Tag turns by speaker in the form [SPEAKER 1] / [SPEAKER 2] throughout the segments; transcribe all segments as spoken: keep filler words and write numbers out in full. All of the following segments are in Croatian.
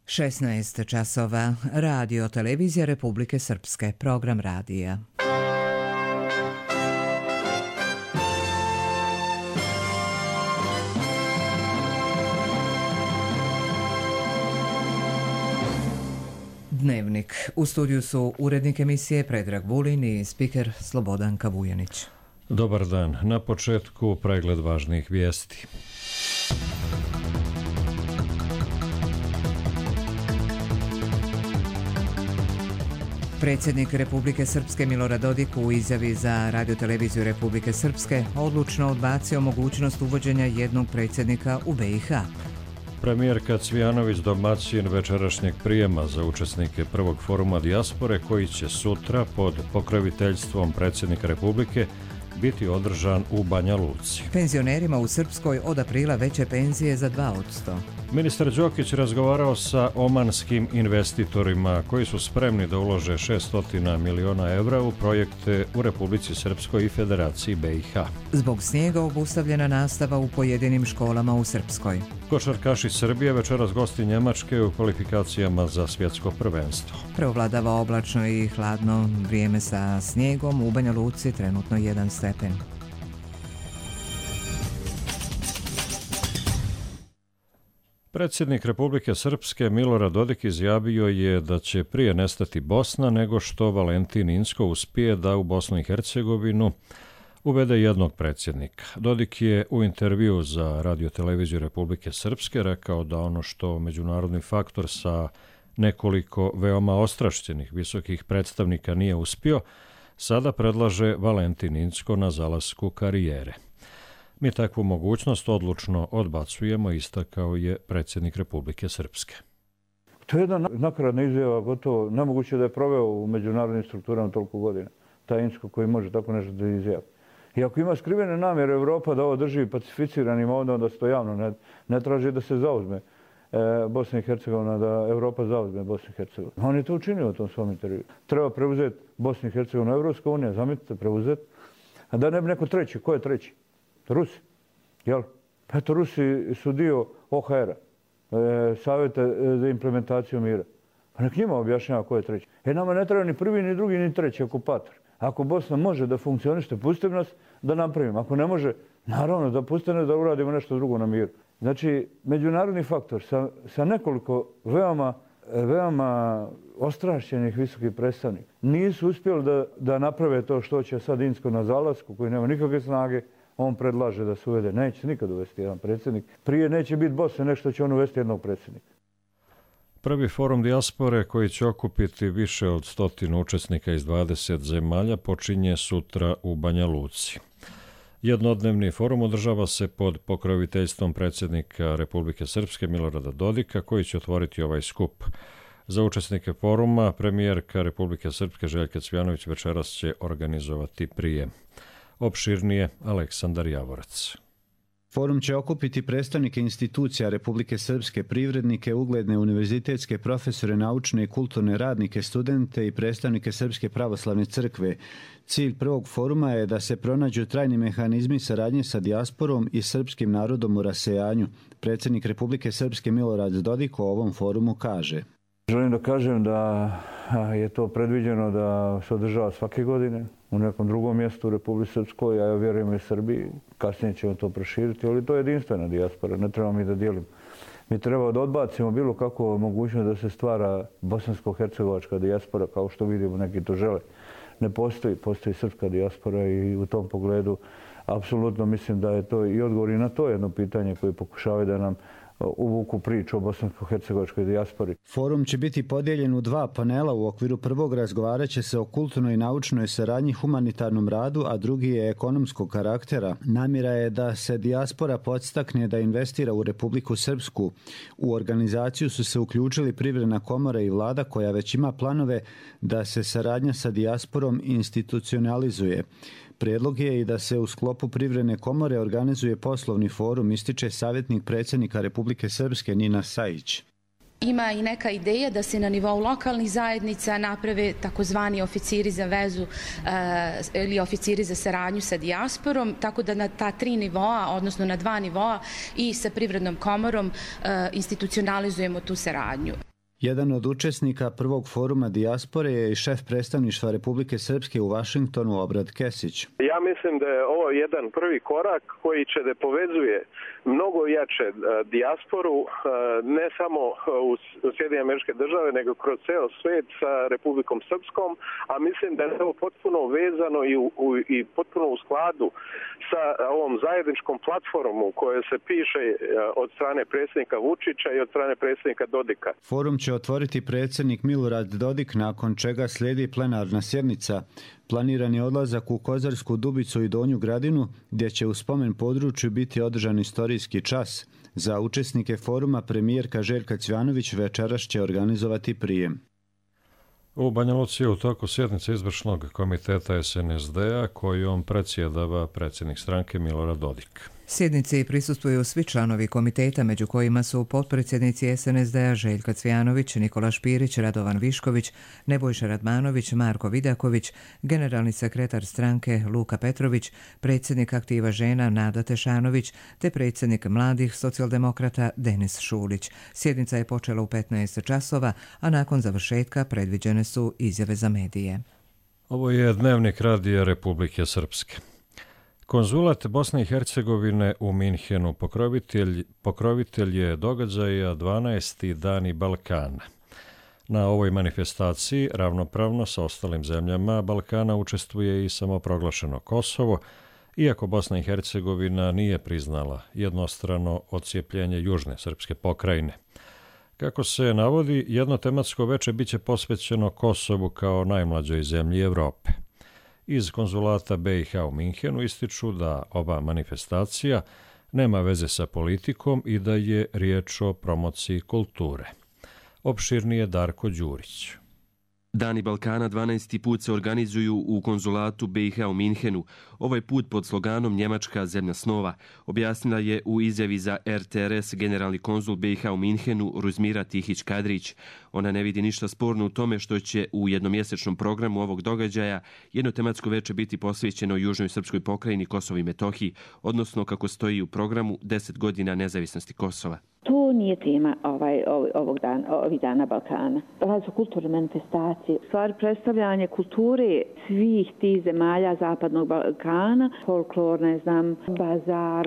[SPEAKER 1] šesnaest časova. Radio Televizija Republike Srpske. Program radija. Dnevnik. U studiju su urednik emisije Predrag Vulin i spiker Slobodan Kavujanić.
[SPEAKER 2] Dobar dan. Na početku pregled važnih vijesti.
[SPEAKER 1] Predsjednik Republike Srpske Milorad Dodik u izjavi za Radio-televiziju Republike Srpske odlučno odbacio mogućnost uvođenja jednog predsjednika u be i ha.
[SPEAKER 2] Premijerka Cvijanović domaćin večerašnjeg prijema za učesnike prvog foruma dijaspore koji će sutra pod pokroviteljstvom predsjednika Republike biti održan u Banja Luci.
[SPEAKER 1] Penzionerima u Srpskoj od aprila veće penzije za dva posto.
[SPEAKER 2] Ministar Đokić razgovarao sa omanskim investitorima koji su spremni da ulože šesto miliona evra u projekte u Republici Srpskoj i Federaciji be i ha.
[SPEAKER 1] Zbog snijega obustavljena nastava u pojedinim školama u Srpskoj.
[SPEAKER 2] Košarkaši Srbije večeras gosti Njemačke u kvalifikacijama za svjetsko prvenstvo.
[SPEAKER 1] Preovladava oblačno i hladno vrijeme sa snijegom, u Banja Luci trenutno jedan stepen.
[SPEAKER 2] Predsjednik Republike Srpske Milorad Dodik izjavio je da će prije nestati Bosna nego što Valentin Inzko uspije da u Bosnu i Hercegovinu uvede jednog predsjednika. Dodik je u intervju za Radio-televiziju Republike Srpske rekao da ono što međunarodni faktor sa nekoliko veoma ostrašćenih visokih predstavnika nije uspio, sada predlaže Valentin Inzko na zalasku karijere. Mi takvu mogućnost odlučno odbacujemo, istakao je predsjednik Republike Srpske.
[SPEAKER 3] To je jedna nakaradna izjava, gotovo nemoguće da je proveo u međunarodnim strukturama toliko godina. Taj Inzko koji može tako nešto da izjavi. I ako ima skrivene namjere Evropa da ovo drži pacificiranim ovdje, onda se to javno ne, ne traži da se zauzme e, Bosna i Hercegovina, da Evropa zauzme Bosnu i Hercegovinu. On je to učinio u tom svom intervju. Treba preuzeti Bosnu i Hercegovinu, Evropska unija, zamislite, preuzeti. A da ne bi neko treći. Ko je treći? Rusi. Jel? Pa eto, Rusi su dio o ha era, e, Savjeta za implementaciju mira. Pa nek njima objašnjava ko je treći. Jer nama ne treba ni prvi, ni drugi, ni treći okupator. Ako Bosna može da funkcionište, pustite nas da napravimo. Ako ne može, naravno da pustite nas da uradimo nešto drugo na miru. Znači, međunarodni faktor sa, sa nekoliko veoma, veoma ostrašćenih visokih predstavnika nisu uspjeli da, da naprave to što će sad Inzko na zalasku, koji nema nikakve snage. On predlaže da se uvede. Neće se nikad uvesti jedan predsjednik. Prije neće biti Bosne, nešto će on uvesti jednog predsjednika.
[SPEAKER 2] Prvi forum dijaspore koji će okupiti više od stotinu učesnika iz dvadeset zemalja počinje sutra u Banja Luci. Jednodnevni forum održava se pod pokroviteljstvom predsjednika Republike Srpske Milorada Dodika koji će otvoriti ovaj skup. Za učesnike foruma premijerka Republike Srpske Željka Cvijanović večeras će organizovati prijem. Opširnije Aleksandar Javorac.
[SPEAKER 4] Forum će okupiti predstavnike institucija Republike Srpske, privrednike, ugledne univerzitetske profesore, naučne i kulturne radnike, studente i predstavnike Srpske pravoslavne crkve. Cilj prvog foruma je da se pronađu trajni mehanizmi saradnje sa dijasporom i srpskim narodom u rasejanju. Predsjednik Republike Srpske Milorad Dodik o ovom forumu kaže.
[SPEAKER 3] Želim da kažem da je to predviđeno da se održava svake godine u nekom drugom mjestu u Republike Srpskoj, a ja vjerujem i Srbiji. Kasnije ćemo to proširiti, ali to je jedinstvena dijaspora, ne trebamo mi da dijelimo. Mi treba da odbacimo bilo kako mogućnost da se stvara bosansko-hercegovačka dijaspora, kao što vidimo neki to žele. Ne postoji, postoji srpska dijaspora i u tom pogledu apsolutno mislim da je to i odgovor i na to jedno pitanje koje pokušavaju da nam uvuku priču o bosansko-hercegovačkoj dijaspori.
[SPEAKER 4] Forum će biti podijeljen u dva panela. U okviru prvog razgovarat će se o kulturnoj i naučnoj saradnji, humanitarnom radu, a drugi je ekonomskog karaktera. Namjera je da se dijaspora podstakne da investira u Republiku Srpsku. U organizaciju su se uključili Privredna komora i vlada koja već ima planove da se saradnja sa dijasporom institucionalizuje. Prijedlog je i da se u sklopu Privredne komore organizuje poslovni forum, ističe savjetnik predsjednika Republike Srpske Nina Sajić.
[SPEAKER 5] Ima i neka ideja da se na nivou lokalnih zajednica naprave takozvani oficiri za vezu e, ili oficiri za saradnju sa dijasporom, tako da na ta tri nivoa, odnosno na dva nivoa i sa Privrednom komorom e, institucionalizujemo tu saradnju.
[SPEAKER 4] Jedan od učesnika prvog foruma dijaspore je i šef predstavništva Republike Srpske u Vašingtonu, Obrad Kesić.
[SPEAKER 6] Ja mislim da je ovo jedan prvi korak koji će da povezuje mnogo jače dijasporu, ne samo u Sjedinjene Američke Države, nego kroz ceo svet sa Republikom Srpskom, a mislim da je ovo potpuno vezano i, u, i potpuno u skladu sa ovom zajedničkom platformom koja se piše od strane predsjednika Vučića i od strane predsjednika Dodika.
[SPEAKER 4] Forum će otvoriti predsjednik Milorad Dodik, nakon čega slijedi plenarna sjednica. Planiran je odlazak u Kozarsku Dubicu i Donju Gradinu, gdje će u spomen području biti održan istorijski čas. Za učesnike foruma premijerka Željka Cvjanović večeras će organizovati prijem.
[SPEAKER 2] U Banja Luci je u toku sjednice izvršnog komiteta S N S D-a kojom predsjedava predsjednik stranke Milorad Dodik.
[SPEAKER 1] Sjednici prisustvuju svi članovi komiteta, među kojima su potpredsjednici S N S D-a Željka Cvjanović, Nikola Špirić, Radovan Višković, Nebojša Radmanović, Marko Vidaković, generalni sekretar stranke Luka Petrović, predsjednik Aktiva žena Nada Tešanović te predsjednik mladih socijaldemokrata Denis Šulić. Sjednica je počela u petnaest časova, a nakon završetka predviđene su izjave za medije.
[SPEAKER 2] Ovo je dnevnik Radija Republike Srpske. Konzulat Bosne i Hercegovine u Minhenu pokrovitelj, pokrovitelj je događaja dvanaesti Dani Balkana. Na ovoj manifestaciji ravnopravno sa ostalim zemljama Balkana učestvuje i samoproglašeno Kosovo, iako Bosna i Hercegovina nije priznala jednostrano odcijepljenje južne srpske pokrajine. Kako se navodi, jedno tematsko veče biće posvećeno Kosovu kao najmlađoj zemlji Evrope. Iz konzulata B i H u Minhenu ističu da ova manifestacija nema veze sa politikom i da je riječ o promociji kulture. Opširnije Darko Đurić.
[SPEAKER 7] Dani Balkana dvanaesti put se organizuju u konzulatu B i H u Minhenu, ovaj put pod sloganom Njemačka zemlja snova, objasnila je u izjavi za R T R S generalni konzul B i H u Minhenu Ruzmira Tihić-Kadrić. Ona ne vidi ništa sporno u tome što će u jednomjesečnom programu ovog događaja jedno tematsko veče biti posvećeno južnoj srpskoj pokrajini Kosovo i Metohiji, odnosno kako stoji u programu deset godina nezavisnosti Kosova.
[SPEAKER 8] To nije tema ovaj, ovog dana, ovih dana Balkana. Ovo su kulturne manifestacije. Stvar predstavljanje kulture svih tih zemalja Zapadnog Balkana, folklor, ne znam, bazar,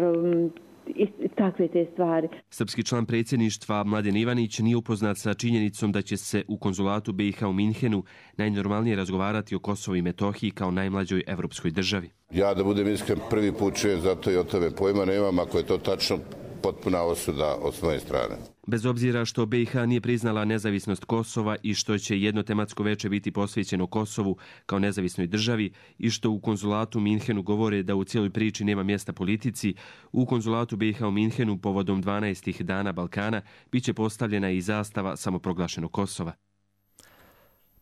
[SPEAKER 8] i takve te stvari.
[SPEAKER 7] Srpski član predsjedništva Mladen Ivanić nije upoznat sa činjenicom da će se u konzulatu B i H u Minhenu najnormalnije razgovarati o Kosovu i Metohiji kao najmlađoj evropskoj državi.
[SPEAKER 9] Ja da budem iskren, prvi put čujem, zato i o tome pojma nemam, ako je to tačno, potpuna osuda od svoje strane.
[SPEAKER 7] Bez obzira što B i H nije priznala nezavisnost Kosova i što će jedno tematsko veče biti posvećeno Kosovu kao nezavisnoj državi i što u konzulatu u Minhenu govore da u cijeloj priči nema mjesta politici, u konzulatu B i H u Minhenu povodom dvanaestih dana Balkana biće postavljena i zastava samoproglašenog Kosova.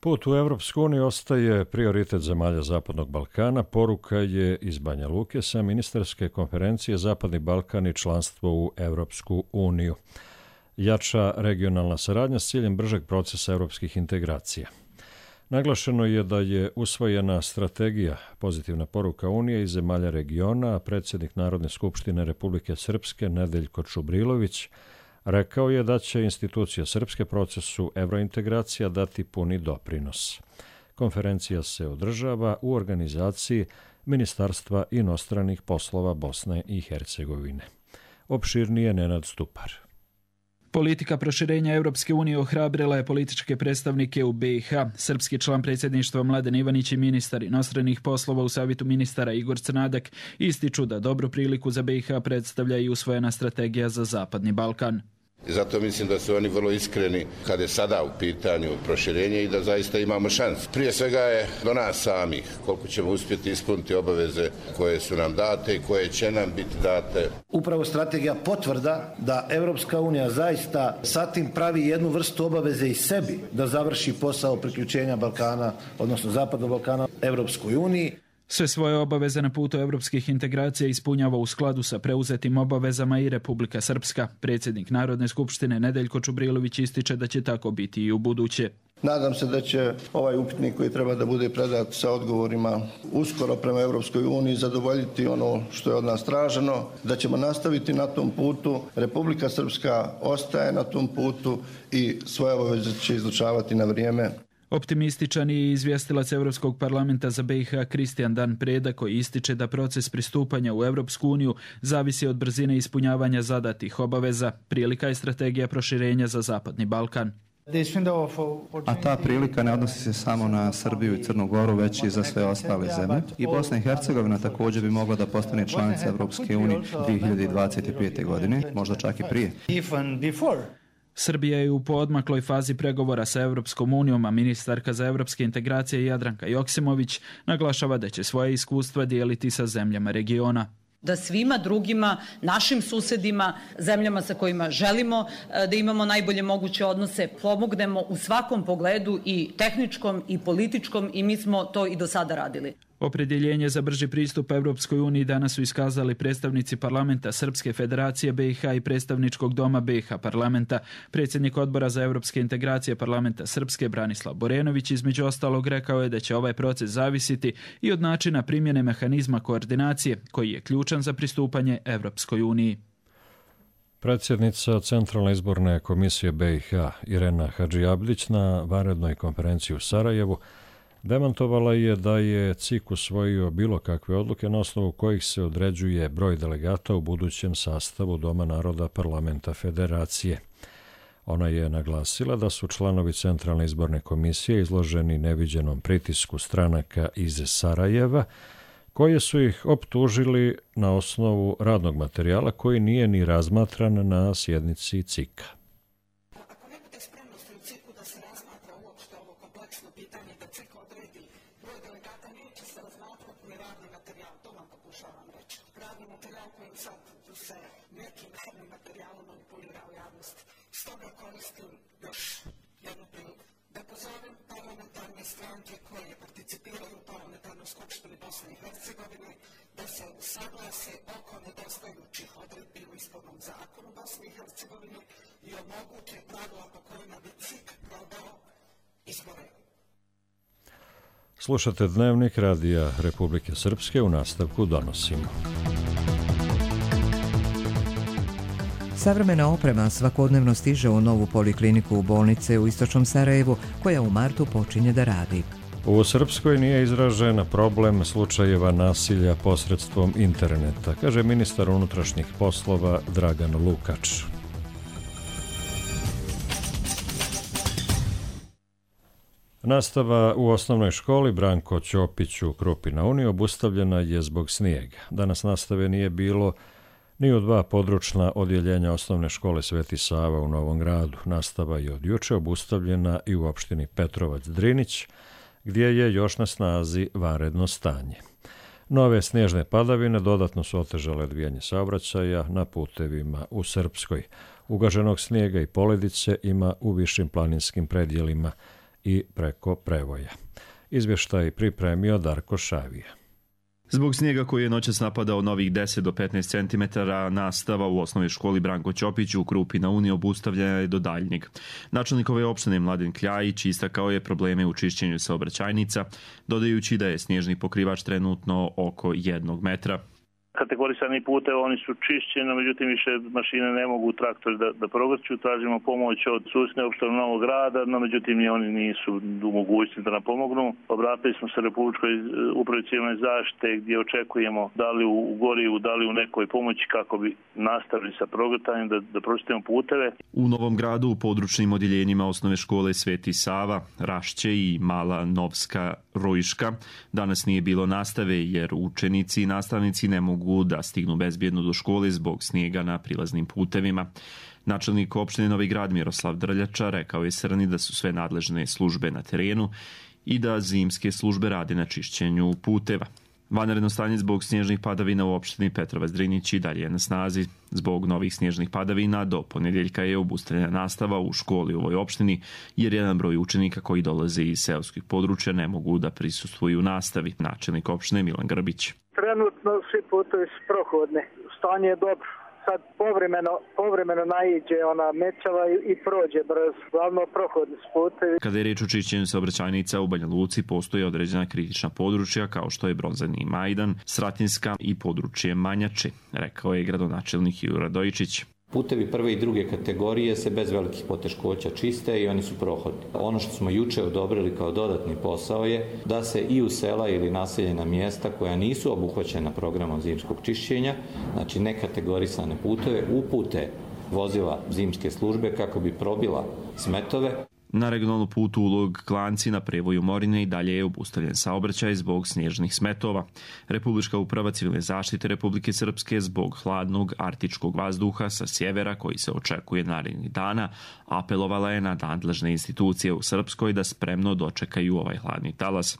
[SPEAKER 2] Put u Evropsku uniju ostaje prioritet zemalja Zapadnog Balkana, poruka je iz Banja Luke sa ministarske konferencije Zapadni Balkan i članstvo u Evropsku uniju. Jača regionalna saradnja s ciljem bržeg procesa evropskih integracija. Naglašeno je da je usvojena strategija pozitivna poruka Unije i zemalja regiona, a predsjednik Narodne skupštine Republike Srpske Nedeljko Čubrilović rekao je da će institucija Srpske procesu evrointegracija dati puni doprinos. Konferencija se održava u organizaciji Ministarstva inostranih poslova Bosne i Hercegovine. Opširnije Nenad Stupar.
[SPEAKER 10] Politika proširenja Europske unije ohrabrila je političke predstavnike u B i H. Srpski član predsjedništva Mladen Ivanić i ministar inostranih poslova u Savjetu ministara Igor Crnadak ističu da dobru priliku za B i H predstavlja i usvojena strategija za Zapadni Balkan.
[SPEAKER 9] I zato mislim da su oni vrlo iskreni kad je sada u pitanju proširenje i da zaista imamo šans. Prije svega je do nas samih koliko ćemo uspjeti ispuniti obaveze koje su nam date i koje će nam biti date.
[SPEAKER 11] Upravo strategija potvrda da Evropska unija zaista sa tim pravi jednu vrstu obaveze i sebi da završi posao priključenja Balkana, odnosno Zapadnog Balkana Evropskoj uniji.
[SPEAKER 10] Sve svoje obaveze na putu evropskih integracija ispunjava u skladu sa preuzetim obavezama i Republika Srpska. Predsjednik Narodne skupštine Nedeljko Čubrilović ističe da će tako biti i u buduće.
[SPEAKER 12] Nadam se da će ovaj upitnik koji treba da bude predat sa odgovorima uskoro prema Europskoj uniji zadovoljiti ono što je od nas traženo, da ćemo nastaviti na tom putu. Republika Srpska ostaje na tom putu i svoje obaveze će izučavati na vrijeme.
[SPEAKER 10] Optimističan je izvjestilac Europskog parlamenta za B i H Kristijan Dan Preda, koji ističe da proces pristupanja u Europsku uniju zavisi od brzine ispunjavanja zadatih obaveza. Prilika je strategija proširenja za Zapadni Balkan.
[SPEAKER 13] A ta prilika ne odnosi se samo na Srbiju i Crnu Goru, već i za sve ostale zemlje. I Bosna i Hercegovina također bi mogla da postane članica Europske unije dvije hiljade dvadeset pete. godine, možda čak i prije.
[SPEAKER 10] Srbija je u poodmakloj fazi pregovora sa Europskom unijom, a ministarka za evropske integracije Jadranka Joksimović naglašava da će svoje iskustva dijeliti sa zemljama regiona.
[SPEAKER 14] Da svima drugima, našim susedima, zemljama sa kojima želimo da imamo najbolje moguće odnose, pomognemo u svakom pogledu i tehničkom i političkom, i mi smo to i do sada radili.
[SPEAKER 10] Opredjeljenje za brži pristup Europskoj uniji danas su iskazali predstavnici parlamenta Srpske federacije B i H i predstavničkog doma B i H parlamenta. Predsjednik odbora za europske integracije parlamenta Srpske Branislav Borenović između ostalog rekao je da će ovaj proces zavisiti i od načina primjene mehanizma koordinacije koji je ključan za pristupanje Europskoj uniji.
[SPEAKER 2] Predsjednica Centralne izborne komisije B i H Irena Hadžiabdić na vanrednoj konferenciji u Sarajevu demantovala je da je C I K usvojio bilo kakve odluke na osnovu kojih se određuje broj delegata u budućem sastavu Doma naroda parlamenta federacije. Ona je naglasila da su članovi Centralne izborne komisije izloženi neviđenom pritisku stranaka iz Sarajeva, koje su ih optužili na osnovu radnog materijala koji nije ni razmatran na sjednici C I K-a. Slušate Dnevnik Radija Republike Srpske, u nastavku donosimo.
[SPEAKER 1] Savremena oprema svakodnevno stiže u novu polikliniku u bolnice u istočnom Sarajevu, koja u martu počinje da radi.
[SPEAKER 2] U Srpskoj nije izražen problem slučajeva nasilja posredstvom interneta, kaže ministar unutrašnjih poslova Dragan Lukač. Nastava u osnovnoj školi Branko Ćopić u Krupi na Uni obustavljena je zbog snijega. Danas nastave nije bilo ni u dva područna odjeljenja osnovne škole Sveti Sava u Novom Gradu. Nastava je od juče obustavljena i u opštini Petrovac Drinić, gdje je još na snazi vanredno stanje. Nove snježne padavine dodatno su otežale odvijanje saobraćaja na putevima u Srpskoj. Ugaženog snijega i poledice ima u višim planinskim predjelima i preko Prevoja. Izvještaj pripremio Darko Šavija.
[SPEAKER 15] Zbog snijega koji je noćas napadao novih deset do petnaest centimetara, nastava u osnovnoj školi Branko Ćopić u Krupi na Uni obustavljena je do daljnjeg. Načelnik ove opštine Mladen Kljajić istakao je probleme u čišćenju saobraćajnica, dodajući da je snježni pokrivač trenutno oko jednog metra.
[SPEAKER 16] Kategorisani putevi, oni su čišćeni, međutim više mašine ne mogu traktori da, da progrću. Tražimo pomoć od susjedne opštine Novog Grada, no međutim ni oni nisu u mogućnosti da nam pomognu. Obratili smo se Republičkoj upravi civilne zaštite gdje očekujemo da li u gorivu, da li u nekoj pomoći kako bi nastavili sa progrtanjem da, da pročistimo puteve.
[SPEAKER 15] U Novom Gradu u područnim odjeljenjima osnove škole Sveti Sava, Rašće i Mala Novska Rojiška danas nije bilo nastave jer učenici i nastavnici ne mogu da stignu bezbjedno do škole zbog snijega na prilaznim putevima. Načelnik opštine Novi Grad Miroslav Drljača rekao je Srni da su sve nadležne službe na terenu i da zimske službe rade na čišćenju puteva. Vanredno stanje zbog snježnih padavina u opštini Petrovac Drinić i dalje je na snazi. Zbog novih snježnih padavina do ponedjeljka je obustavljena nastava u školi u ovoj opštini jer jedan broj učenika koji dolaze iz seoskih područja ne mogu da prisustvuju nastavi. Načelnik opštine Milan Grbić.
[SPEAKER 17] Trenutno svi putevi su prohodni. Stanje je dobro. kad povremeno, povremeno naiđe ona mečava i, i prođe brzo, glavno prohodi s putevi.
[SPEAKER 15] Kada je riječ o čišćenju saobraćajnica u Banja Luci, postoje određena kritična područja kao što je Brozani Majdan, Sratinska i područje Manjače, rekao je gradonačelnik Juro Radojičić.
[SPEAKER 18] Putevi prve i druge kategorije se bez velikih poteškoća čiste i oni su prohodni. Ono što smo juče odobrili kao dodatni posao je da se i u sela ili naseljena mjesta koja nisu obuhvaćena programom zimskog čišćenja, znači nekategorisane puteve, upute vozila zimske službe kako bi probila smetove.
[SPEAKER 15] Na regionalnom putu Ulog Klanci na prevoju Morine i dalje je obustavljen saobraćaj zbog snježnih smetova. Republička uprava civilne zaštite Republike Srpske zbog hladnog arktičkog vazduha sa sjevera koji se očekuje narednih dana apelovala je na nadležne institucije u Srpskoj da spremno dočekaju ovaj hladni talas.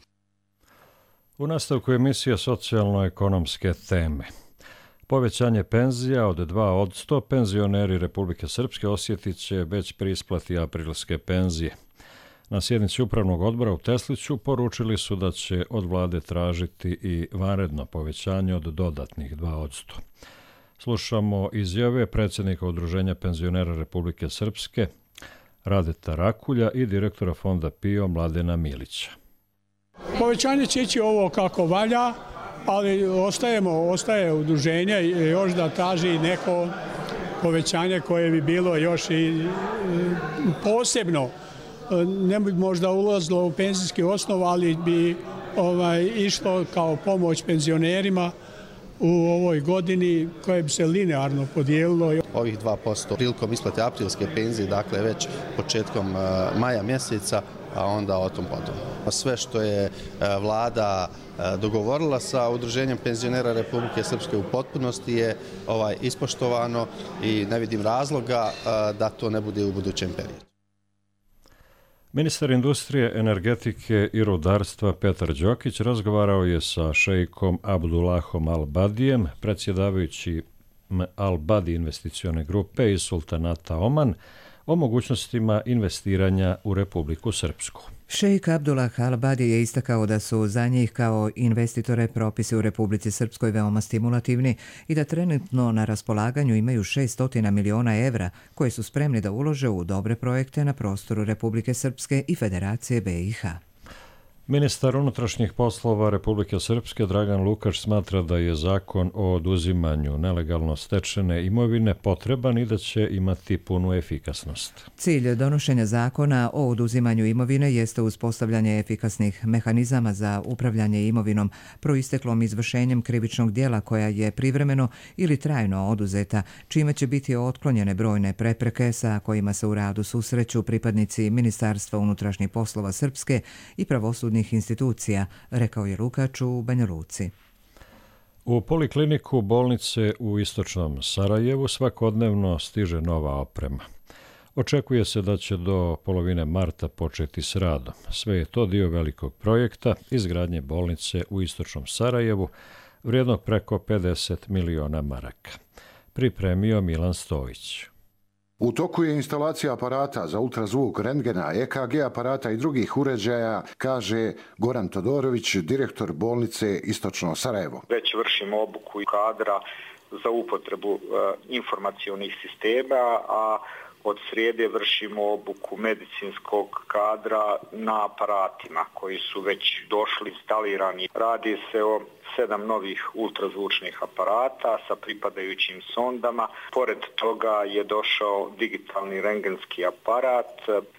[SPEAKER 2] U nastavku emisije socijalno-ekonomske teme. Povećanje penzija od dva posto penzioneri Republike Srpske osjetit će već pri isplati aprilske penzije. Na sjednici upravnog odbora u Tesliću poručili su da će od vlade tražiti i vanredno povećanje od dodatnih dva posto. Slušamo izjave predsjednika Udruženja penzionera Republike Srpske Radeta Rakulja i direktora fonda P I O Mladena Milića.
[SPEAKER 19] Povećanje će ići ovo kako valja, ali ostajemo, ostaje udruženje još da traži neko povećanje koje bi bilo još i posebno. Ne bi možda ulazilo u penzijski osnov, ali bi ovaj, išlo kao pomoć penzionerima u ovoj godini koje bi se linearno podijelilo.
[SPEAKER 20] Ovih dva posto prilikom isplate aprilske penzije, dakle već početkom maja mjeseca, a onda o tom potom. Sve što je vlada dogovorila sa Udruženjem penzionera Republike Srpske u potpunosti je ovaj ispoštovano i ne vidim razloga da to ne bude u budućem periodu.
[SPEAKER 2] Ministar industrije, energetike i rudarstva Petar Đokić razgovarao je sa šejkom Abdullahom Al-Badijem, predsjedavajući Al-Badi investicione grupe iz Sultanata Oman, o mogućnostima investiranja u Republiku Srpsku.
[SPEAKER 1] Šejk Abdullah Al-Badi je istakao da su za njih kao investitore propisi u Republici Srpskoj veoma stimulativni i da trenutno na raspolaganju imaju šesto miliona evra koje su spremni da ulože u dobre projekte na prostoru Republike Srpske i Federacije B i H.
[SPEAKER 2] Ministar unutrašnjih poslova Republike Srpske Dragan Lukač smatra da je zakon o oduzimanju nelegalno stečene imovine potreban i da će imati punu efikasnost.
[SPEAKER 1] Cilj donošenja zakona o oduzimanju imovine jeste uspostavljanje efikasnih mehanizama za upravljanje imovinom proisteklom izvršenjem krivičnog djela koja je privremeno ili trajno oduzeta, čime će biti otklonjene brojne prepreke sa kojima se u radu susreću pripadnici Ministarstva unutrašnjih poslova Srpske i pravosudnih institucija, rekao je Lukač u Banja Luci.
[SPEAKER 2] U polikliniku bolnice u istočnom Sarajevu svakodnevno stiže nova oprema. Očekuje se da će do polovine marta početi s radom. Sve je to dio velikog projekta izgradnje bolnice u istočnom Sarajevu, vrijednog preko pedeset miliona maraka. Pripremio Milan Stojić.
[SPEAKER 21] U toku je instalacija aparata za ultrazvuk, rentgena, E K G aparata i drugih uređaja, kaže Goran Todorović, direktor bolnice Istočno Sarajevo.
[SPEAKER 22] Već vršimo obuku kadra za upotrebu e, informacionih sistema, a od srijede vršimo obuku medicinskog kadra na aparatima koji su već došli instalirani. Radi se o sedam novih ultrazvučnih aparata sa pripadajućim sondama. Pored toga je došao digitalni rentgenski aparat.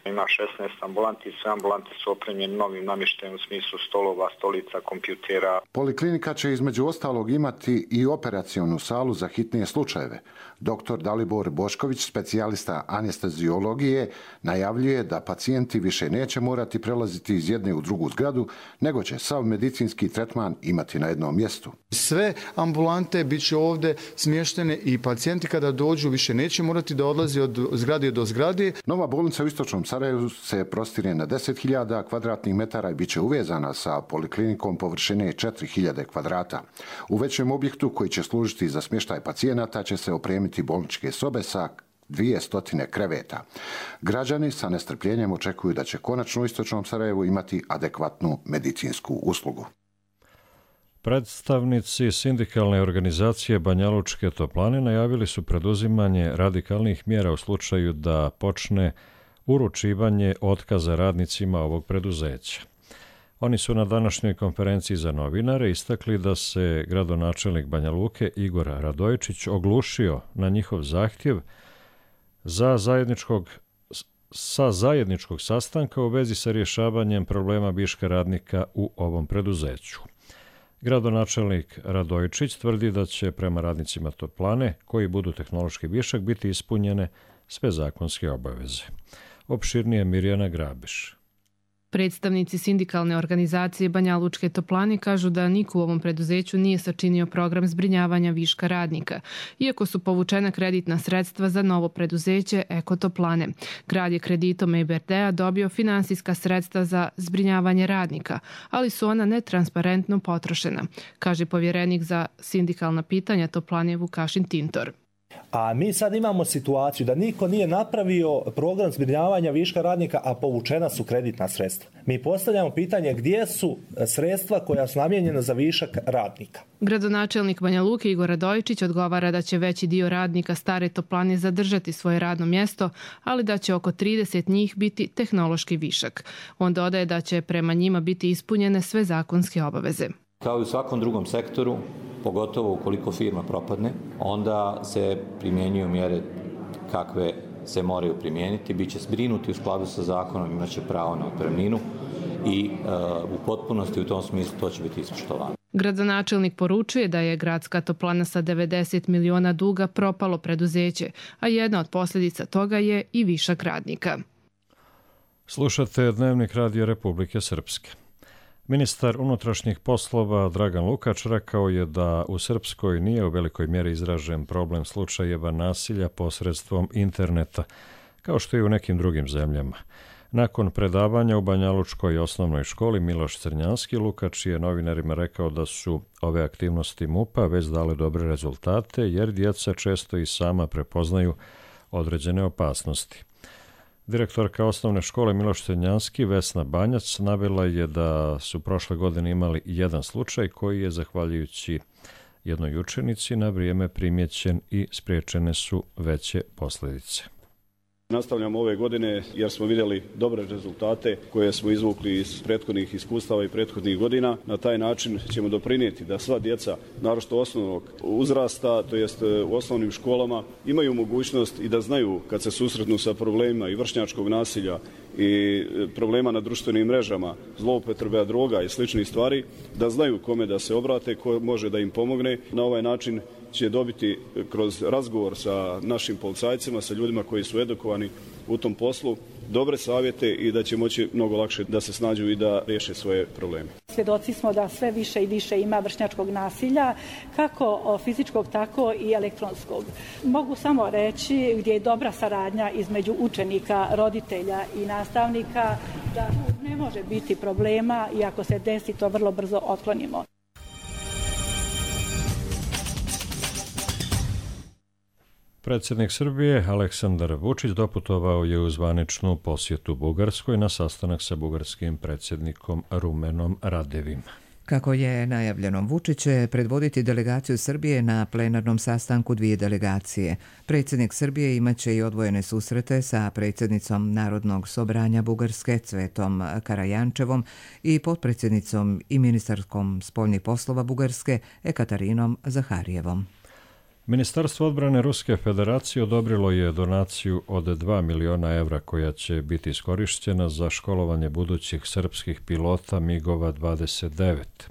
[SPEAKER 22] Ima šesnaest ambulanti i sve ambulante su opremljene novim namještajem u smislu stolova, stolica, kompjutera.
[SPEAKER 21] Poliklinika će između ostalog imati i operacionu salu za hitnije slučajeve. Doktor Dalibor Bošković, specijalista anesteziologije, najavljuje da pacijenti više neće morati prelaziti iz jedne u drugu zgradu, nego će sav medicinski tretman imati na jednom mjestu.
[SPEAKER 23] Sve ambulante bit će ovdje smještene i pacijenti kada dođu više neće morati da odlazi od zgrade do zgrade.
[SPEAKER 21] Nova bolnica u istočnom Sarajevu se prostire na deset hiljada kvadratnih metara i bit će uvezana sa poliklinikom površine četiri hiljade kvadrata. U većem objektu koji će služiti za smještaj pacijenata će se opremiti bolničke sobe sa dvjesto kreveta. Građani sa nestrpljenjem očekuju da će konačno u istočnom Sarajevu imati adekvatnu medicinsku uslugu.
[SPEAKER 2] Predstavnici sindikalne organizacije Banjalučke toplane najavili su preduzimanje radikalnih mjera u slučaju da počne uručivanje otkaza radnicima ovog preduzeća. Oni su na današnjoj konferenciji za novinare istakli da se gradonačelnik Banja Luke Igor Radojičić oglušio na njihov zahtjev za zajedničkog, sa zajedničkog sastanka u vezi sa rješavanjem problema viška radnika u ovom preduzeću. Gradonačelnik Radojičić tvrdi da će prema radnicima toplane, koji budu tehnološki višak, biti ispunjene sve zakonske obaveze. Opširnije Mirjana Grabiš.
[SPEAKER 3] Predstavnici sindikalne organizacije Banjalučke toplane kažu da niko u ovom preduzeću nije sačinio program zbrinjavanja viška radnika, iako su povučena kreditna sredstva za novo preduzeće Eko toplane. Grad je kreditom E B R D-a dobio finansijska sredstva za zbrinjavanje radnika, ali su ona netransparentno potrošena, kaže povjerenik za sindikalna pitanja toplane Vukašin Tintor.
[SPEAKER 5] A mi sad imamo situaciju da niko nije napravio program zbrinjavanja viška radnika, a povučena su kreditna sredstva. Mi postavljamo pitanje gdje su sredstva koja su namijenjena za višak radnika.
[SPEAKER 3] Gradonačelnik Banja Luke Igor Radojičić odgovara da će veći dio radnika stare toplane zadržati svoje radno mjesto, ali da će oko trideset njih biti tehnološki višak. On dodaje da će prema njima biti ispunjene sve zakonske obaveze.
[SPEAKER 18] Kao i u svakom drugom sektoru, pogotovo ukoliko firma propadne, onda se primjenjuju mjere kakve se moraju primijeniti, bit će zbrinuti u skladu sa zakonom, imaće pravo na otpremninu i e, u potpunosti u tom smislu to će biti ispoštovano.
[SPEAKER 3] Gradonačelnik poručuje da je gradska toplana sa devedeset miliona duga propalo preduzeće, a jedna od posljedica toga je i višak radnika.
[SPEAKER 2] Slušate Dnevnik Radija Republike Srpske. Ministar unutrašnjih poslova Dragan Lukač rekao je da u Srpskoj nije u velikoj mjeri izražen problem slučajeva nasilja posredstvom interneta, kao što je u nekim drugim zemljama. Nakon predavanja u Banjalučkoj osnovnoj školi Miloš Crnjanski, Lukač je novinarima rekao da su ove aktivnosti MUP-a već dale dobre rezultate, jer djeca često i sama prepoznaju određene opasnosti. Direktorka osnovne škole Miloš Crnjanski, Vesna Banjac, navela je da su prošle godine imali jedan slučaj koji je, zahvaljujući jednoj učenici, na vrijeme primjećen i spriječene su veće posljedice.
[SPEAKER 6] Nastavljamo ove godine jer smo vidjeli dobre rezultate koje smo izvukli iz prethodnih iskustava i prethodnih godina. Na taj način ćemo doprinijeti da sva djeca, naročito osnovnog uzrasta, to jest u osnovnim školama, imaju mogućnost i da znaju kad se susretnu sa problemima i vršnjačkog nasilja i problema na društvenim mrežama, zloupotrebe droga i sličnih stvari, da znaju kome da se obrate, ko može da im pomogne. Na ovaj način će dobiti kroz razgovor sa našim policajcima, sa ljudima koji su edukovani u tom poslu, dobre savjete i da će moći mnogo lakše da se snađu i da riješe svoje probleme.
[SPEAKER 24] Svjedoci smo da sve više i više ima vršnjačkog nasilja, kako fizičkog, tako i elektronskog. Mogu samo reći gdje je dobra saradnja između učenika, roditelja i nastavnika, da ne može biti problema i ako se desi to vrlo brzo otklonimo.
[SPEAKER 2] Predsjednik Srbije Aleksandar Vučić doputovao je u zvaničnu posjetu Bugarskoj na sastanak sa bugarskim predsjednikom Rumenom Radevim.
[SPEAKER 1] Kako je najavljeno, Vučić će predvoditi delegaciju Srbije na plenarnom sastanku dvije delegacije. Predsjednik Srbije imaće i odvojene susrete sa predsjednicom Narodnog sobranja Bugarske Cvetom Karajančevom i potpredsjednicom i ministarskom spoljnih poslova Bugarske Ekatarinom Zaharijevom.
[SPEAKER 2] Ministarstvo odbrane Ruske federacije odobrilo je donaciju od dva miliona evra koja će biti iskorištena za školovanje budućih srpskih pilota migova dvadeset devet.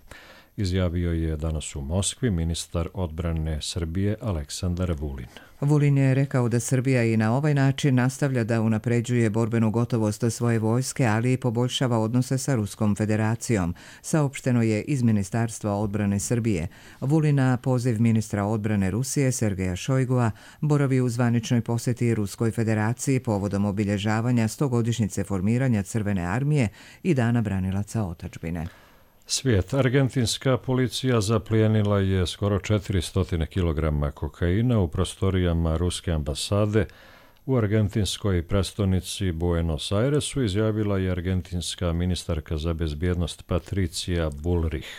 [SPEAKER 2] Izjavio je danas u Moskvi ministar odbrane Srbije Aleksandar Vulin.
[SPEAKER 1] Vulin je rekao da Srbija i na ovaj način nastavlja da unapređuje borbenu gotovost svoje vojske, ali i poboljšava odnose sa Ruskom federacijom, saopšteno je iz Ministarstva odbrane Srbije. Vulin na poziv ministra odbrane Rusije Sergeja Šojgua boravi u zvaničnoj posjeti Ruskoj federaciji povodom obilježavanja stogodišnjice formiranja Crvene armije i Dana branilaca otadžbine.
[SPEAKER 2] Svijet. Argentinska policija zaplijenila je skoro četiristo kilograma kokaina u prostorijama Ruske ambasade u argentinskoj prestonici Buenos Airesu, izjavila je argentinska ministarka za bezbjednost Patricia Bullrich.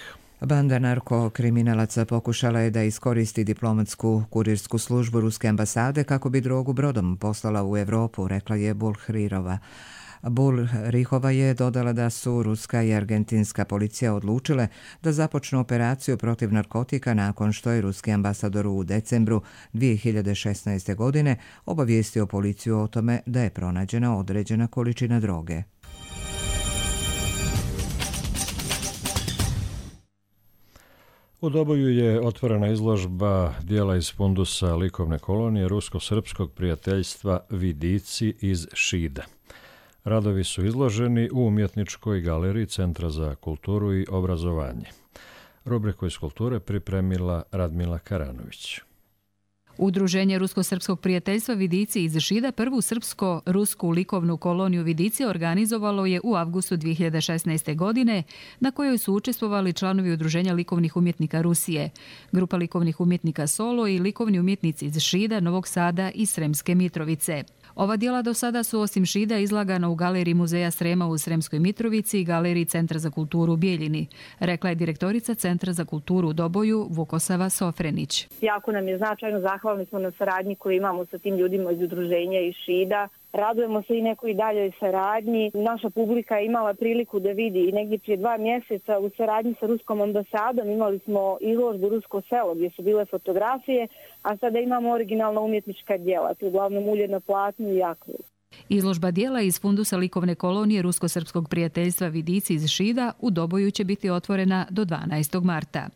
[SPEAKER 1] Banda narkokriminalaca pokušala je da iskoristi diplomatsku kurirsku službu ruske ambasade kako bi drogu brodom poslala u Europu, rekla je Bulhrirova. Bulhrihova je dodala da su ruska i argentinska policija odlučile da započnu operaciju protiv narkotika nakon što je ruski ambasador u decembru dvije hiljade šesnaeste. godine obavijestio policiju o tome da je pronađena određena količina droge.
[SPEAKER 2] U Doboju je otvorena izložba dijela iz fundusa likovne kolonije rusko-srpskog prijateljstva Vidici iz Šida. Radovi su izloženi u umjetničkoj galeriji Centra za kulturu i obrazovanje. Rubriku iz kulture pripremila Radmila Karanović.
[SPEAKER 4] Udruženje Rusko-srpskog prijateljstva Vidici iz Šida prvu srpsko-rusku likovnu koloniju Vidici organizovalo je u avgustu dvije hiljade šesnaeste. godine, na kojoj su učestvovali članovi Udruženja likovnih umjetnika Rusije, grupa likovnih umjetnika Solo i likovni umjetnici iz Šida, Novog Sada i Sremske Mitrovice. Ova djela do sada su osim Šida izlagana u galeriji Muzeja Srema u Sremskoj Mitrovici i galeriji Centra za kulturu u Bijeljini, rekla je direktorica Centra za kulturu u Doboju Vukosava Sofrenić.
[SPEAKER 7] Jako nam je značajno, zahvalni smo na saradnji koju imamo sa tim ljudima iz udruženja iz Šida. Radujemo se i nekoj daljoj saradnji. Naša publika je imala priliku da vidi i negdje prije dva mjeseca u saradnji sa ruskom ambasadom imali smo izložbu Rusko selo gdje su bile fotografije, a sada imamo originalna umjetnička djela, to je uglavnom ulje na platnu i akrilu.
[SPEAKER 4] Izložba dijela iz fundusa likovne kolonije Rusko-srpskog prijateljstva Vidici iz Šida u Doboju će biti otvorena do dvanaestog marta.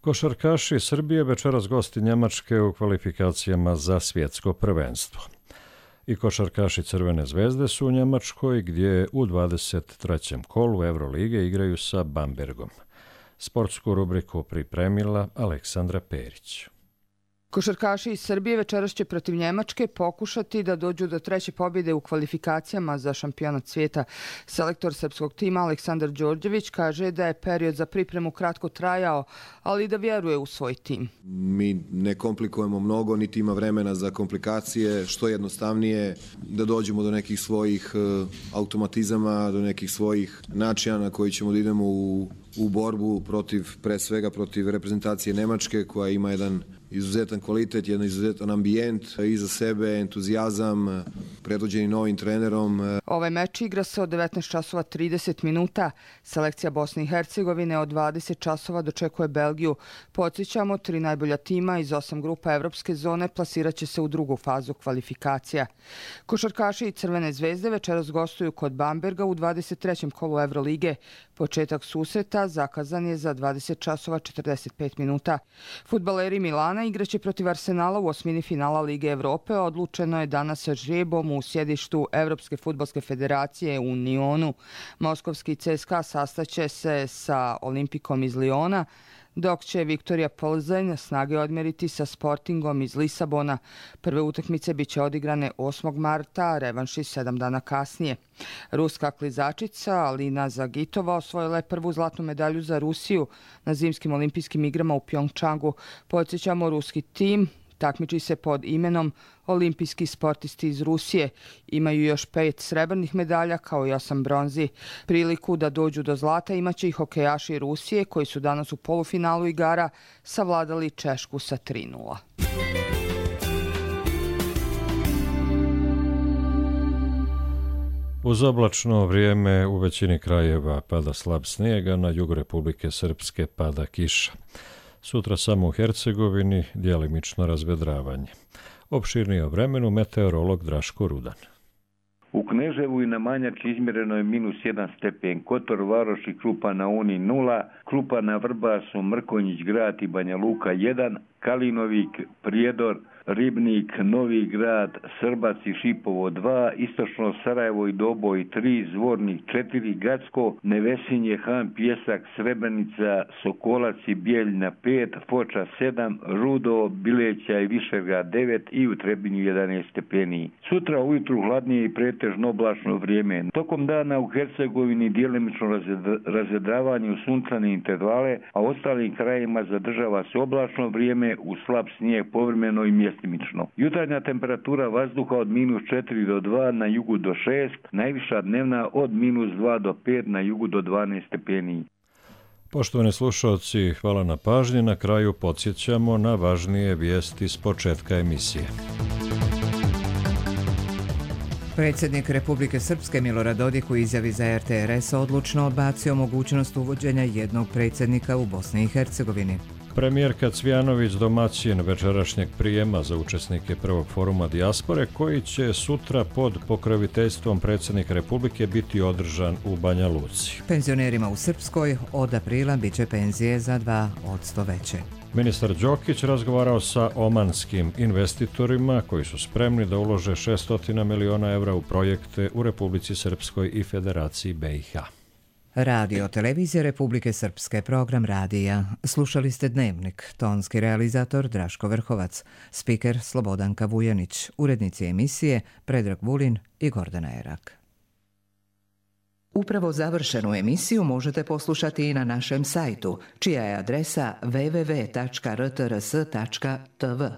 [SPEAKER 2] Košarkaši Srbije večeras gosti Njemačke u kvalifikacijama za svjetsko prvenstvo. I košarkaši Crvene zvezde su u Njemačkoj gdje u dvadeset trećem kolu Eurolige igraju sa Bambergom. Sportsku rubriku pripremila Aleksandra Perić.
[SPEAKER 8] Košarkaši iz Srbije večeras će protiv Njemačke pokušati da dođu do treće pobjede u kvalifikacijama za šampionat svijeta. Selektor srpskog tima Aleksandar Đorđević kaže da je period za pripremu kratko trajao, ali da vjeruje u svoj tim.
[SPEAKER 9] Mi ne komplikujemo mnogo, niti ima vremena za komplikacije, što jednostavnije da dođemo do nekih svojih automatizama, do nekih svojih načina na koji ćemo da idemo u, u borbu protiv, pre svega protiv reprezentacije Nemačke koja ima jedan izuzetan kvalitet, jedan izuzetan ambijent, iza sebe entuzijazam, predvođeni novim trenerom.
[SPEAKER 8] Ovaj meč igra se od devetnaest časova trideset minuta. Selekcija Bosne i Hercegovine od dvadeset časova dočekuje Belgiju. Podsjećamo, tri najbolja tima iz osam grupa evropske zone plasirat će se u drugu fazu kvalifikacija. Košarkaši i Crvene zvezde večeras gostuju kod Bamberga u dvadeset trećem kolu Evrolige. Početak susreta zakazan je za dvadeset časova četrdeset pet minuta. Fudbaleri Milana igraće protiv Arsenala u osmini finala Lige Evrope. Odlučeno je danas sa žrebom u sjedištu Evropske fudbalske federacije u Nionu. Moskovski C S K A sastaće se sa Olimpikom iz Liona, dok će Viktorija Plzeň snage odmeriti sa Sportingom iz Lisabona. Prve utakmice biće odigrane osmog marta, a revanši sedam dana kasnije. Ruska klizačica Alina Zagitova osvojila je prvu zlatnu medalju za Rusiju na zimskim olimpijskim igrama u Pjongčangu. Podsjećamo, ruski tim takmiči se pod imenom Olimpijski sportisti iz Rusije. Imaju još pet srebrnih medalja kao i osam bronzi. Priliku da dođu do zlata imaće i hokejaši Rusije koji su danas u polufinalu igara savladali Češku sa tri nula.
[SPEAKER 2] Uz oblačno vrijeme u većini krajeva pada slab snijega, na jugu Republike Srpske pada kiša. Sutra samo u Hercegovini djelimično razvedravanje. Opširnije o vremenu meteorolog Draško Rudan.
[SPEAKER 25] U Kneževu i na Manjači izmjereno je minus jedan stepen, Kotor, Varoš i Krupa na Uni nula, Krupa na Vrbasu, Mrkonjić grad i Banja Luka jedan, Kalinovik, Prijedor, Ribnik, Novi grad, Srbac i Šipovo dva, Istočno Sarajevo i Doboj tri, Zvornik četiri, Gacko, Nevesinje, Han, Pjesak, Srebrenica, Sokolac i Bijeljna pet, Foča sedam, Rudo, Bileća i Višegrad devet i u Trebinju jedanaest stepeni. Sutra ujutru hladnije i pretežno oblačno vrijeme. Tokom dana u Hercegovini djelimično razvedravanje u sunčane intervale, a ostalim krajima zadržava se oblačno vrijeme u slab snijeg povremeno i mjesno mjestimično. Jutarnja temperatura vazduha od minus četiri do dva, na jugu do šest, najviša dnevna od minus dva do pet, na jugu do dvanaest stepeni.
[SPEAKER 2] Poštovani slušalci, hvala na pažnji. Na kraju podsjećamo na važnije vijesti s početka emisije.
[SPEAKER 1] Predsjednik Republike Srpske Milorad Dodik u izjavi za R T R S odlučno odbacio mogućnost uvođenja jednog predsjednika u Bosni i Hercegovini.
[SPEAKER 2] Premijerka Cvjanović domaćin večerašnjeg prijema za učesnike prvog foruma dijaspore koji će sutra pod pokroviteljstvom predsjednika Republike biti održan u Banja Luci.
[SPEAKER 1] Penzionerima u Srpskoj od aprila bit će penzije za dva posto veće.
[SPEAKER 2] Ministar Đokić razgovarao sa omanskim investitorima koji su spremni da ulože šesto miliona evra u projekte u Republici Srpskoj i Federaciji B i H.
[SPEAKER 1] Radio Televizija Republike Srpske, program radija. Slušali ste Dnevnik, tonski realizator Draško Vrhovac, spiker Slobodanka Vujanić, urednici emisije Predrag Vulin i Gordana Erak. Upravo završenu emisiju možete poslušati i na našem sajtu, čija je adresa w w w tačka r t r s tačka t v.